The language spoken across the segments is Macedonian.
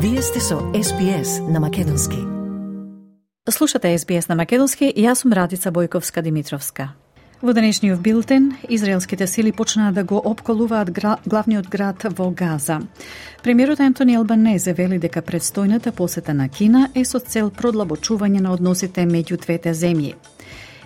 Вие сте со SBS на македонски. Слушате SBS на македонски и јас сум Радица Бојковска-Димитровска. Во денешниот билтен, израелските сили почнаа да го опколуваат главниот град во Газа. Премиерот Антони Албанезе вели дека предстојната посета на Кина е со цел продлабочување на односите меѓу двете земји.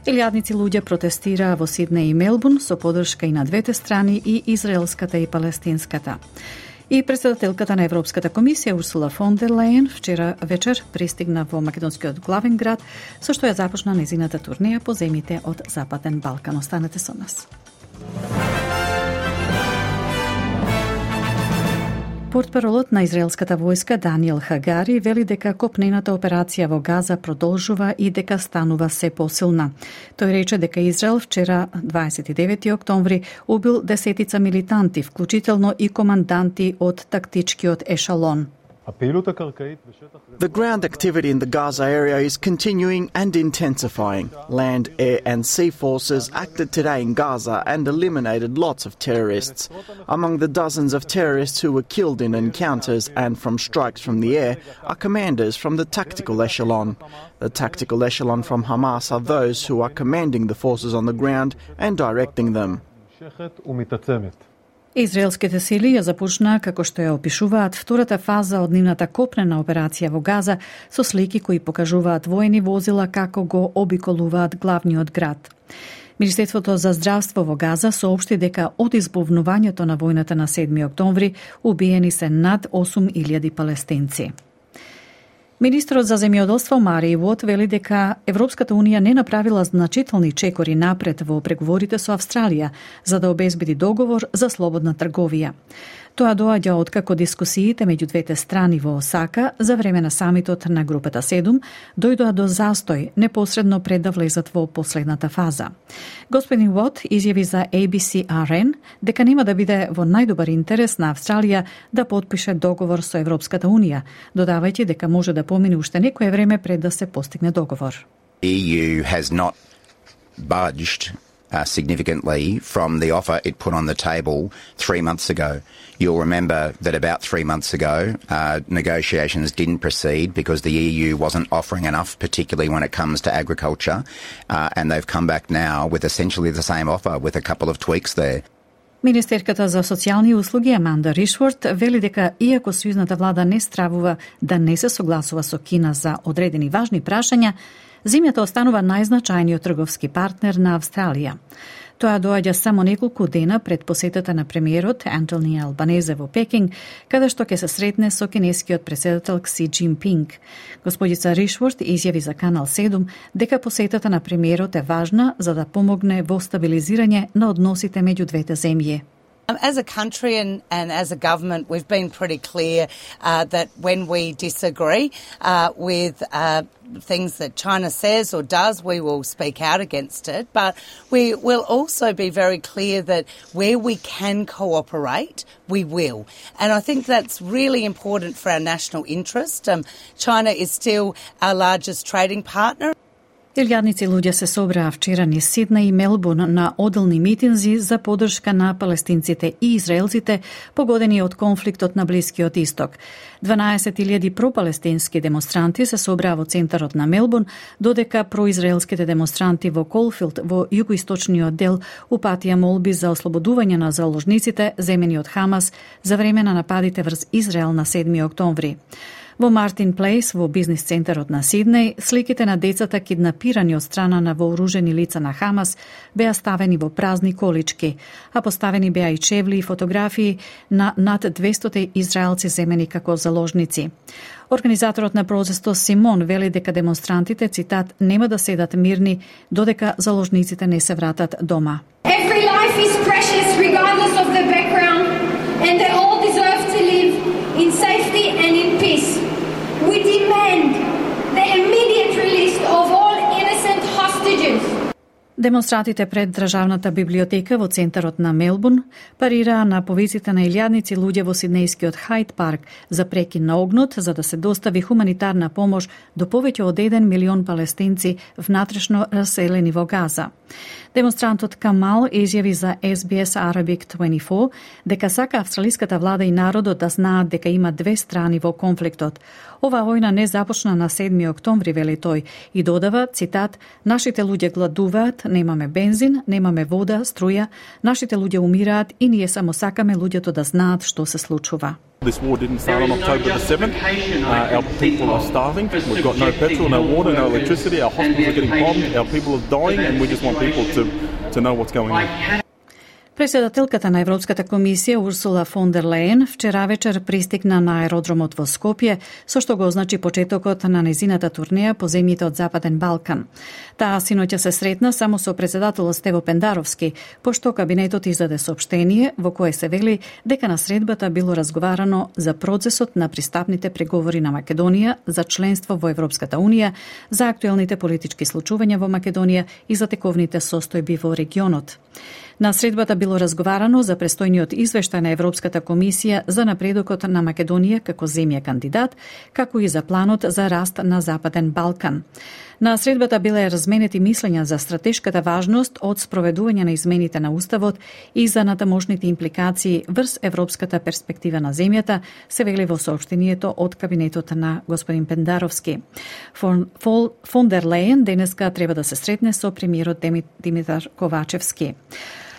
Илјадници луѓе протестираа во Сиднеј и Мелбурн со поддршка и на двете страни, и израелската и палестинската. И председателката на Европската комисија Урсула фон дер Лајен вчера вечер пристигна во македонскиот главен град, со што ја започна незината турнеја по земјите од Западен Балкан. Останете со нас. Портпаролот на израелската војска Даниел Хагари вели дека копнената операција во Газа продолжува и дека станува се посилна. Тој рече дека Израел вчера, 29 октомври, убил десетица милитанти, вклучително и команданти од тактичкиот ешалон. The ground activity in the Gaza area is continuing and intensifying. Land, air and sea forces acted today in Gaza and eliminated lots of terrorists. Among the dozens of terrorists who were killed in encounters and from strikes from the air are commanders from the tactical echelon. The tactical echelon from Hamas are those who are commanding the forces on the ground and directing them. Израелските сили ја започнаа, како што ја опишуваат, втората фаза од нивната копнена операција во Газа со слики кои покажуваат воени возила како го обиколуваат главниот град. Министерството за здравство во Газа соопшти дека од избувнувањето на војната на 7 октомври убиени се над 8.000 палестинци. Министрот за земјоделство Мари Вот вели дека Европската Унија не направила значителни чекори напред во преговорите со Австралија за да обезбеди договор за слободна трговија. Тоа доаѓа откако дискусиите меѓу двете страни во Осака за време на самитот на групата 7 дојдоа до застој непосредно пред да влезат во последната фаза. Господин Вот изјави за ABC-RN дека нема да биде во најдобар интерес на Австралија да потпише договор со Европската Унија, додавајќи дека може да помине уште некое време пред да се постигне договор. EU has not budged significantly from the offer it put on the table 3 months ago. You'll remember that about 3 months ago, negotiations didn't proceed because the EU wasn't offering enough, particularly when it comes to agriculture, and they've come back now with essentially the same offer with a couple of tweaks there. Министерката за социјални услуги Аманда Ришворт вели дека иако сојузната влада не стравува да не се согласува со Кина за одредени важни прашања, земјата останува најзначајниот трговски партнер на Австралија. Тоа доаѓа само неколку дена пред посетата на премиерот Антони Албанезе во Пекинг, каде што ќе се сретне со кинескиот председател Кси Џинпинг. Господица Ришворт изјави за Канал 7 дека посетата на премиерот е важна за да помогне во стабилизирање на односите меѓу двете земји. As a country and as a government, we've been pretty clear that when we disagree with things that China says or does, we will speak out against it. But we will also be very clear that where we can cooperate, we will. And I think that's really important for our national interest. China is still our largest trading partner. Илјадници луѓе се собраа вчера низ Сиднеј и Мелбурн на оделни митинзи за поддршка на палестинците и израелците погодени од конфликтот на Блискиот Исток. 12.000 пропалестински демонстранти се собраа во центарот на Мелбурн, додека произраелските демонстранти во Колфилд во југоисточниот дел упатија молби за ослободување на заложниците земени од Хамас за време на нападите врз Израел на 7 октомври. Во Мартин Плейс, во бизнис центарот на Сиднеј, сликите на децата киднапирани од страна на вооружени лица на Хамас беа ставени во празни колички, а поставени беа и чевли и фотографии на над 200 израелци земени како заложници. Организаторот на протестот Симон вели дека демонстрантите, цитат, нема да седат мирни додека заложниците не се вратат дома. Every life is precious regardless of the background and they all deserve to live in safety and in peace. We demand the immediate release of all innocent hostages. Демонстрантите пред Државната библиотека во центарот на Мелбурн парираа на повиците на илјадници луѓе во сиднејскиот Хайд парк за прекин на огнот за да се достави хуманитарна помош до повеќе од 1 милион палестинци внатрешно раселени во Газа. Демонстрантот Камал изјави за SBS Arabic 24 дека сака австралиската влада и народот да знаат дека има две страни во конфликтот. Оваа војна не започна на 7 октомври, вели тој, и додава, цитат, нашите луѓе гладуваат, немаме бензин, немаме вода, струја, нашите луѓе умираат и ние само сакаме луѓето да знаат што се случува. This war didn't start on October the 7th. Our people are starving. We've got no petrol, no water, no electricity. Our hospitals are getting bombed. Our people are dying, and we just want people to know what's going on. Председателката на Европската комисија Урсула фон дер Лејен вчера вечер пристигна на аеродромот во Скопје, со што го означи почетокот на незината турнеја по земјите од Западен Балкан. Таа синоќа се сретна само со председателот Стево Пендаровски, пошто кабинетот издаде соопштение во кое се вели дека на средбата било разговарано за процесот на пристапните преговори на Македонија за членство во Европската унија, за актуелните политички случувања во Македонија и за тековните состојби во регионот. На средбата било разговарано за престојниот извештај на Европската комисија за напредокот на Македонија како земја кандидат, како и за планот за раст на Западен Балкан. На средбата биле разменети мислења за стратешката важност од спроведување на измените на Уставот и за натамошните импликации врз европската перспектива на земјата, се вели во соопштението од кабинетот на господин Пендаровски. Фон дер Лејен денеска треба да се сретне со премиерот Димитар Ковачевски.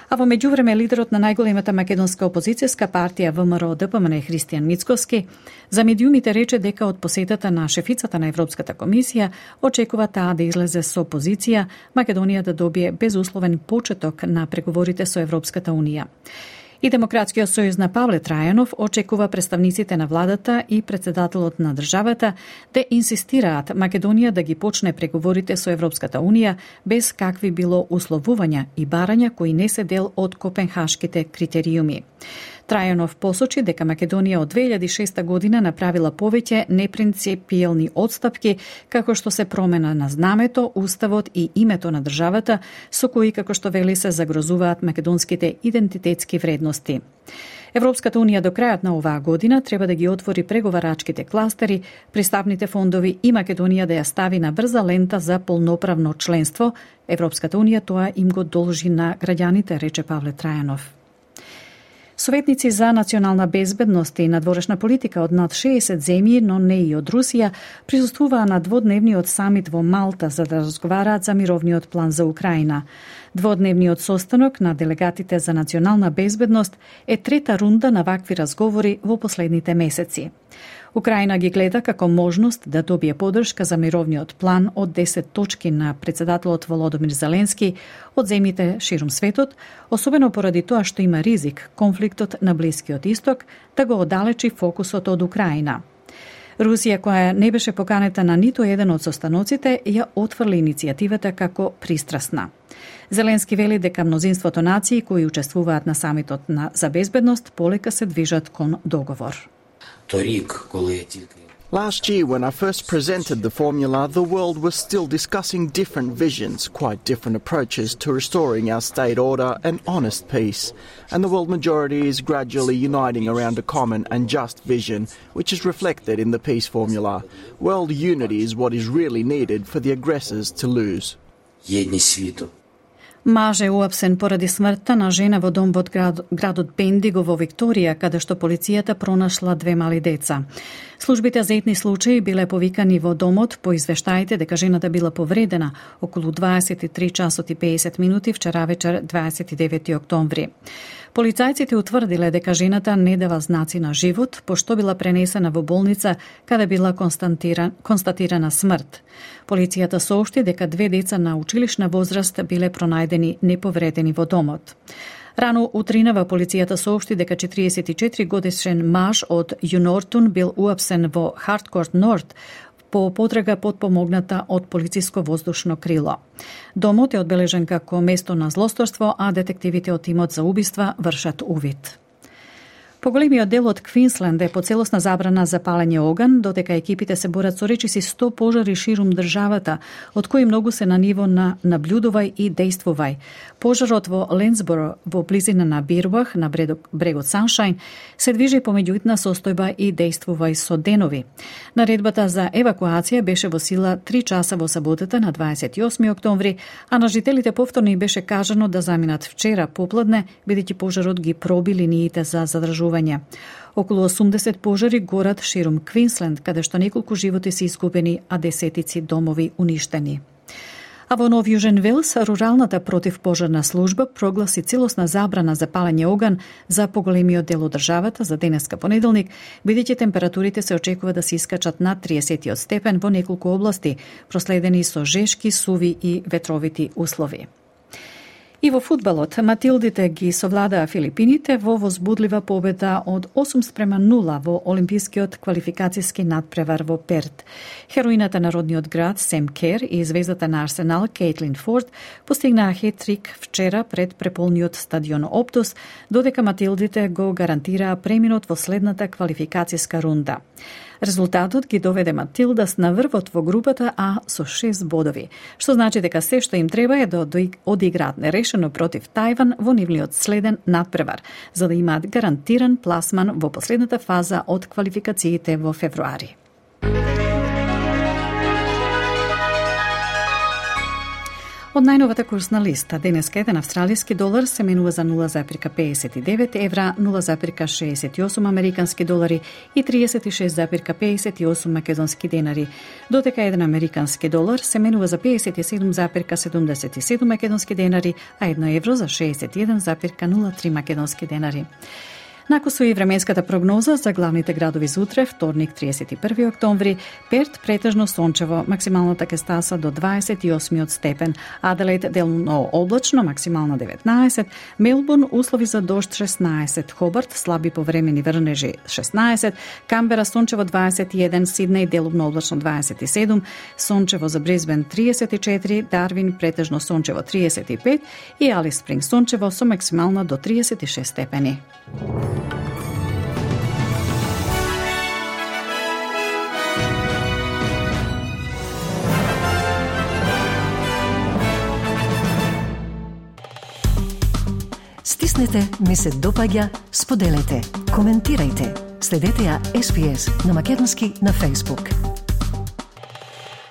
А во меѓувреме лидерот на најголемата македонска опозицијска партија ВМРО ДПМН Христијан Мицкоски за медиумите рече дека од посетата на шефицата на Европската комисија очекува таа да излезе со позиција Македонија да добие безусловен почеток на преговорите со Европската унија. И Демократскиот сојуз на Павле Трајанов очекува представниците на владата и председателот на државата да инсистираат Македонија да ги почне преговорите со Европската унија без какви било условувања и барања кои не се дел од копенхашките критериуми. Трајанов посочи дека Македонија од 2006 година направила повеќе непринципиелни отстапки, како што се промена на знамето, уставот и името на државата, со кои, како што вели, се загрозуваат македонските идентитетски вредности. Европската унија до крајот на оваа година треба да ги отвори преговарачките кластери, пристапните фондови и Македонија да ја стави на брза лента за полноправно членство. Европската унија тоа им го должи на граѓаните, рече Павле Трајанов. Советници за национална безбедност и надворешна политика од над 60 земји, но не и од Русија, присуствуваа на дводневниот самит во Малта за да разговараат за мировниот план за Украина. Дводневниот состанок на делегатите за национална безбедност е трета рунда на вакви разговори во последните месеци. Украина ги гледа како можност да добие поддршка за мировниот план од 10 точки на председателот Володомир Зеленски од земјите ширум светот, особено поради тоа што има ризик конфликтот на Блискиот Исток да го оддалечи фокусот од Украина. Русија, која не беше поканета на ниту еден од состаноците, ја отфрли иницијативата како пристрасна. Зеленски вели дека мнозинството нации кои учествуваат на самитот за безбедност полека се движат кон договор. Last year, when I first presented the formula, the world was still discussing different visions, quite different approaches to restoring our state order and honest peace. And the world majority is gradually uniting around a common and just vision, which is reflected in the peace formula. World unity is what is really needed for the aggressors to lose. Маж е уапсен поради смртта на жена во дом во градот Бендиго во Викторија, каде што полицијата пронашла 2 мали деца. Службите за етни случаи биле повикани во домот по извештаите дека жената била повредена околу 23 часот и 50 минути вчера вечер 29 октомври. Полицајците утврдиле дека жената не дава знаци на живот, пошто била пренесена во болница каде била констатирана смрт. Полицијата соопшти дека 2 деца на училишна возраст биле пронајдени неповредени во домот. Рано утринава полицијата соопшти дека 44 годишен маж од Юнортун бил уапсен во Харткорт Норт по потрага подпомогната од полициско воздушно крило. Домот е одбележен како место на злосторство, а детективите од тимот за убиства вршат увид. Поголемиот дел од Квинсленд е по целосна забрана за палење оган, додека екипите се борат со речиси 100 пожари ширум државата, од кои многу се на ниво на наблюдувај и дејствувај. Пожарот во Ленсборо, во близина на Бирбах, на брегот Саншајн, се движи помеѓуитна состојба и дејствувај со денови. Наредбата за евакуација беше во сила 3 часа во саботата на 28 октомври, а на жителите повторно беше кажано да заминат вчера попладне, бидејќи пожарот ги проби линиите за задржување. Околу 80 пожари горат ширум Квинсленд, каде што неколку животи се изгубени, а десетици домови уништени. А во Нов Јужен Велс, руралната противпожарна служба прогласи целосна забрана за палење оган за поголемиот дел од државата за денеска понеделник, бидејќи температурите се очекува да се искачат над 30 степен во неколку области, проследени со жешки, суви и ветровити услови. И во фудбалот, Матилдите ги совладаа Филипините во возбудлива победа од 8-0 во олимпискиот квалификацијски надпревар во Перт. Хероината на родниот град Сем Кер и звездата на Арсенал Кейтлин Форд постигнаа хет-трик вчера пред преполниот стадион Оптус, додека Матилдите го гарантираа преминот во следната квалификацијска рунда. Резултатот ги доведе Матилдас на врвот во групата А со 6 бодови, што значи дека се што им треба е да одиграат нерешено против Тајван во нивниот следен надпревар, за да имаат гарантиран пласман во последната фаза од квалификациите во февруари. Од најновата курсна листа, денеска еден австралиски долар се менува за 0,59 евра, 0,68 американски долари и 36,58 македонски денари, додека еден американски долар се менува за 57,77 македонски денари, а 1 евро за 61,03 македонски денари. Накусу и временската прогноза за главните градови за утре, вторник 31 октомври, Перт претежно сончево, максималната ќе стаса до 28 степен, Аделаид делно облачно, максимално 19, Мелбурн услови за дожд 16, Хобарт слаби повремени врнежи 16, Камбера сончево 21, Сиднеј делумно облачно 27, сончево за Брисбен 34, Дарвин претежно сончево 35 и Алис Спринг сончево со максимално до 36 степени. Стиснете, ми се допаѓа, споделете, коментирајте. Следете ја SPS на Македонски на Facebook.